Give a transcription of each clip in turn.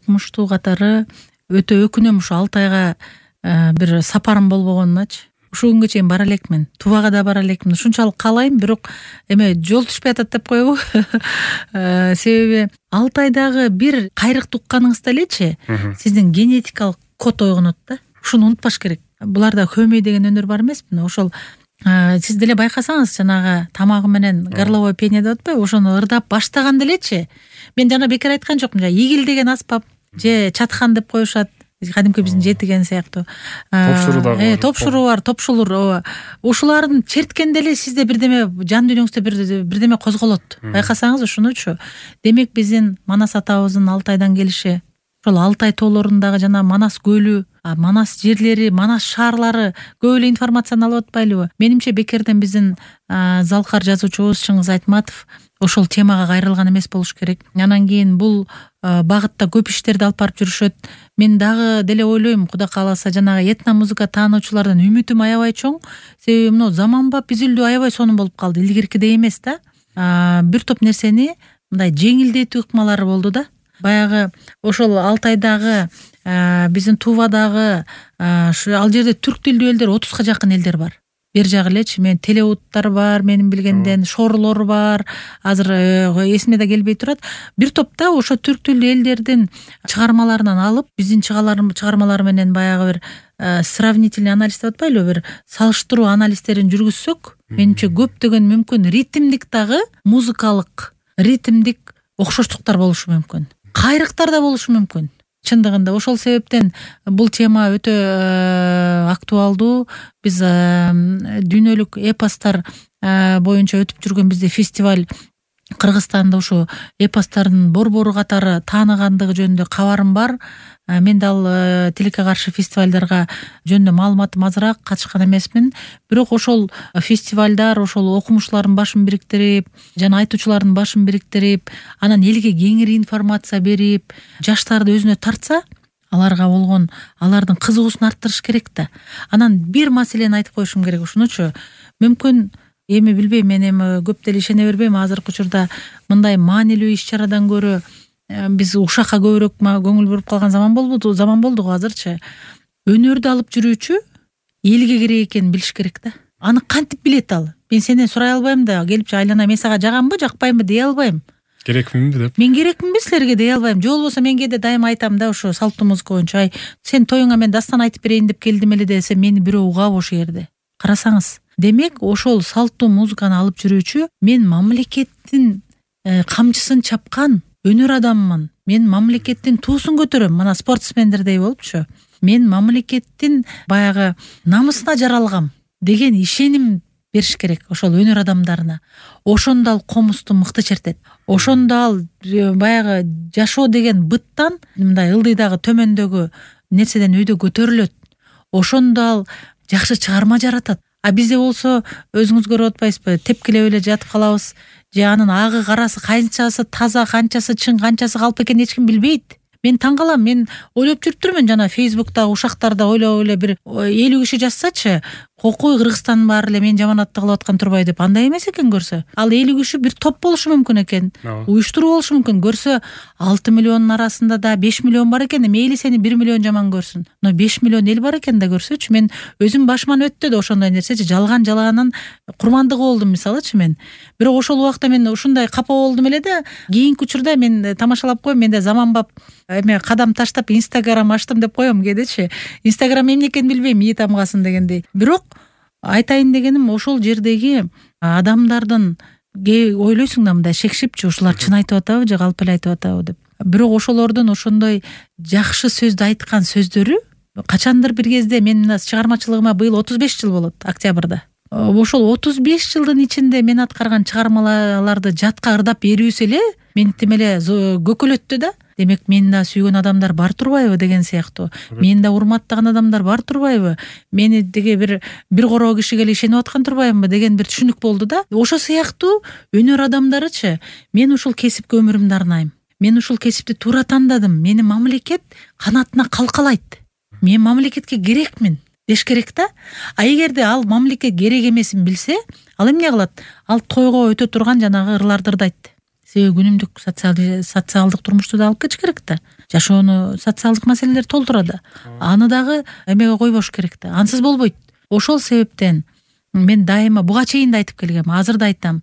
окумуштуу катары өтө өкүнөм ушу Алтайга бир сапарым болбогонуначы. Ушул күнгө чейин бара элекмин, Тувага да бара элекмин. Ушунчалык каалайм, бирок жол түшпөй атат деп коебу. Себеби Алтайдагы бир кайрыкты укканыңызда элечи, сиздин генетикалык код ойгонот да. Ушуну унутпаш керек. Буларда хөмөй деген өнөр бар эмеспи? Ошол сиз деле байкасаңыз, жанагы тамагы менен горловое пение деп атпайбы? Ошону ырдап баштаганда элечи, мен жана бекер айткан жокмун. Игил деген аспап же чатхан деп коюшат. Кадимки биздин жетиген сыяктуу. Топшуруу бар, топшулур. Ушуларын черткенде эле сизде бирдеме жан дүйнөңүздө бирдеме козголот. Байкасаңыз ушунучу. Демек биздин Манас атабыздын Алтайдан келиши, ошол Алтай тоолорундагы жана Манас көлү, Манас жерлери, Манас шаарлары көп эле информацияны алып атпайлыбы? Менимче бекерден биздин залкар жазуучубуз Чыңгыз Айтматов ошол темага кайрылган эмес болуш керек. Анан кийин бул багытта көп иштерди алып барып жүрүшөт. Мен дагы деле ойлойм, Кудай кааласа, жанагы этно музыка таануучулардан үмүтүм аябай чоң. Себеби мына заманбап изилдөө аябай сонун болуп калды, илгиркидей эмес да. Бир топ нерсени мындай жеңилдетүү ыкмалары болду да. Баягы ошол Алтайдагы, биздин Тувадагы, ал жерде түрк тилдүү элдер 30га жакын элдер бар. Бер жагы элечи, мен телеуттар бар, менин билгенден шорлор бар. Азыр эсиме да келбей турат. Бир топта ошо түрк тилдүү элдердин чыгармаларынан алып, биздин чыгармалар менен баягы бир сравнительный анализ деп атпайлыбы, бир салыштыруу анализдерин жүргүзсөк, менимче көптөгөн мүмкүн ритмдик дагы, музыкалык ритмдик окшоштуктар болушу мүмкүн. Кайрыктар да болушу мүмкүн. Чындыгында ошол себептен бул тема өтө актуалдуу. Биз дүйнөлүк эпостор боюнча өтүп жүргөн бизде фестиваль Кыргызстанда ушу эпостордун борбору катары тааныгандыгы жөнүндө кабарым бар. Мен дал тилекке каршы фестивалдарга жөнүндө маалыматым азыраак, катышкан эмесмин. Бирок ошол фестивалдар, ошол окумуштуулардын башын бириктирип, жана айтуучулардын башын бириктирип, анан элге кеңири информация берип, жаштарды өзүнө тартса, аларга болгон алардын кызыгуусун арттырыш керек да. Анан бир маселени айтып коюшум керек ушунучу. Мүмкүн эми билбейм, мен эми көп деле ишене бербейм. Азыркы учурда мындай маанилүү иш-чарадан көрө биз ушакка көбүрөөк көңүл буруп калган заман болду го азырчы. Өнөрдү алып жүрүүчү элге керек экенин билиш керек да. Аны кантип билет ал? Мен сенден сурай албайм да, келипчи айлана мен сага жаганбы, жакпаймбы дей албайм. Керекминби деп. Мен керекминби силерге дей албайм. Же болбосо мен кээде дайыма айтам да, ушу салттуу музыка боюнча, сен тоюңа мен дастан айтып берейин деп келдим эле десе, мени бирөө угабы ошол жерде. Карасаңыз, демек ошол салттуу музыканы алып жүрүүчү мен мамлекеттин камчысын чапкан өнөр адаммын. Мен мамлекеттин туусун көтөрөм. Мына спортсмендердей болупчу. Мен мамлекеттин баягы намысына жаралгам деген ишеним бериш керек ошол өнөр адамдарына. Ошондо ал комусту мыкты чертет. Ошондо ал баягы жашоо деген быттан мындай ылдыйдагы төмөндөгү нерседен өйдө көтөрүлөт. Ошондо ал жакшы чыгарма жаратат. Бизде болсо өзүңүз көрүп атпайсызбы? Тепкилеп эле жатып калабыз. Же анын агы карасы канчасы таза, канчасы чың, канчасы калп экенин эч ким билбейт. Мен таң калам. Мен ойлоп жүрүптүрмүн, жана Facebook'та ушактарда ойлоп эле бир 50 киши жазсачы, кокой Кыргызстандын баары эле мен жаманатты кылып аткан турбай деп. Андай эмес экен көрсө. Ал 50 киши бир топ болушу мүмкүн экен. Уюштуруу болушу мүмкүн. Көрсө 6 миллиондун арасында да 5 миллион бар экен. Мейли сени 1 миллион жаман көрсүн. Но 5 миллион эл бар экен да көрсөчү. Мен өзүм башыман өттү да ошондой нерсечи. Жалаганын курмандыгы болдум мисалычы мен. Бирок ошол убакта мен ушундай капа болдум эле да. Кийинки учурда мен тамашалап коем. Менде заманбап эме кадам таштап Instagram ачтым деп коем кээдечи. Instagram эмне экенин билбейм, ии тамгасын дегендей. Бирок айтайын дегеним, ошол жердеги адамдардын ойлойсуң да мындай шекшипчи, ушулар чын айтып атабы же калп эле айтып атабы деп. Бирок ошолордун ошондой жакшы сөздү айткан сөздөрү качандыр бир кезде, мен мына чыгармачылыгыма быйыл 35 жыл болот октябрда. Ошол 35 жылдын ичинде мен аткарган чыгармаларды жатка ырдап берүүсү эле мени тим эле көкөлөттү да. Демек мени да сүйгөн адамдар бар турбайбы деген сыяктуу. Мени да урматтаган адамдар бар турбайбы? Мени деге бир короо кишиге эле ишенип аткан турбаймынбы деген бир түшүнүк болду да. Ошо сыяктуу өнөр адамдарычы, мен ушул кесипке өмүрүмдү арнайм. Мен ушул кесипти туура тандадым. Мени мамлекет канатына калкалайт. Мен мамлекетке керекмин деш керек да. Эгерде ал мамлекет керек эмесин билсе, ал эмне кылат? Ал тойго өтө турган жанагы ырларды ырдайт. Себеби күнүмдүк социалдык турмушту да алып кетиш керек да. жашоону социалдык маселелер толтурат да. Аны дагы эмеге койбош керек да. Ансыз болбойт. Ошол себептен мен дайыма буга чейин да айтып келгем, азыр да айтам.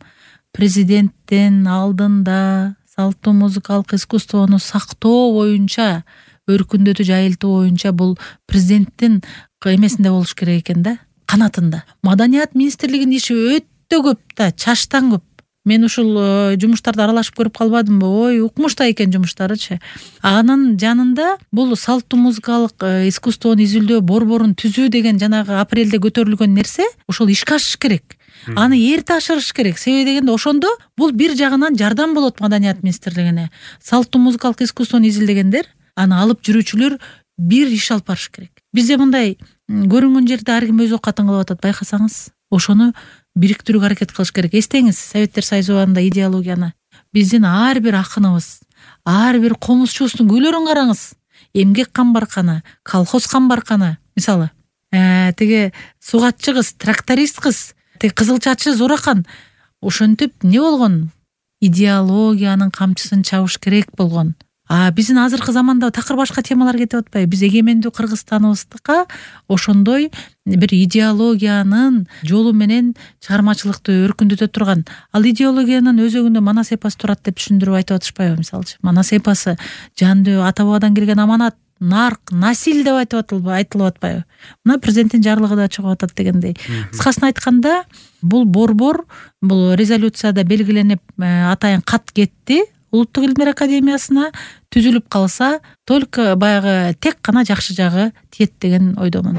Президенттин алдында салттуу музыкалык искусствону сактоо боюнча, өркүндөтүү, жайылтуу боюнча бул президенттин эмесинде болуш керек экен да, канатында. Маданият министрлигинин иши өтө көп да, чаштан көп. Мен ушул жумуштарды аралашып көрүп калбадымбы? Ой, укмуштай экен жумуштарычы. Анын жанында бул салттуу музыкалык искусствону изилдөө борборун түзүү деген жанагы апрелде көтөрүлгөн нерсе, ошол ишке ашыш керек. Аны эрте ашырыш керек. Себеби дегенде ошондо бул бир жагынан жардам болот маданият министрлигине. Салттуу музыкалык искусствону изилдегендер, аны алып жүрүүчүлөр бир иш алып барыш керек. Бизде мындай көрүнгөн жерде ар ким өз окатын кылып атат, байкасаңыз. Ошону бириктирүүгө аракет кылыш керек. Эстеңиз Советтер Союзу убагында идеологияны. Биздин ар бир акыныбыз, ар бир комузчубуздун күйлөрүн караңыз. Эмгек камбарканы, колхоз камбарканы, мисалы, тиги сугатчы кыз, тракторист кыз, тиги кызыл чачы Зуракан. Ошентип не болгон? Идеологиянын камчысын чабыш керек болгон. Биздин азыркы заманда такыр башка темалар кетип атпайбы? Биз эгемендүү Кыргызстаныбызга ошондой бир идеологиянын жолу менен чыгармачылыкты өркүндөтө турган. Ал идеологиянын өзөгүндө манас эпосы турат деп түшүндүрүп айтып атышпайбы, мисалчы? Манас эпосы жандөө ата бабадан келген аманат, нарк, насил деп айтылып атпайбы? Мына президенттин жарлыгы да чыгып атат дегендей. Кыскасын айтканда, бул борбор, бул резолюцияда белгиленип атайын кат кетти. Улуттук илимдер академиясына түзүлүп калса, только баягы тек гана жакшы жагы тиет деген ойдомун.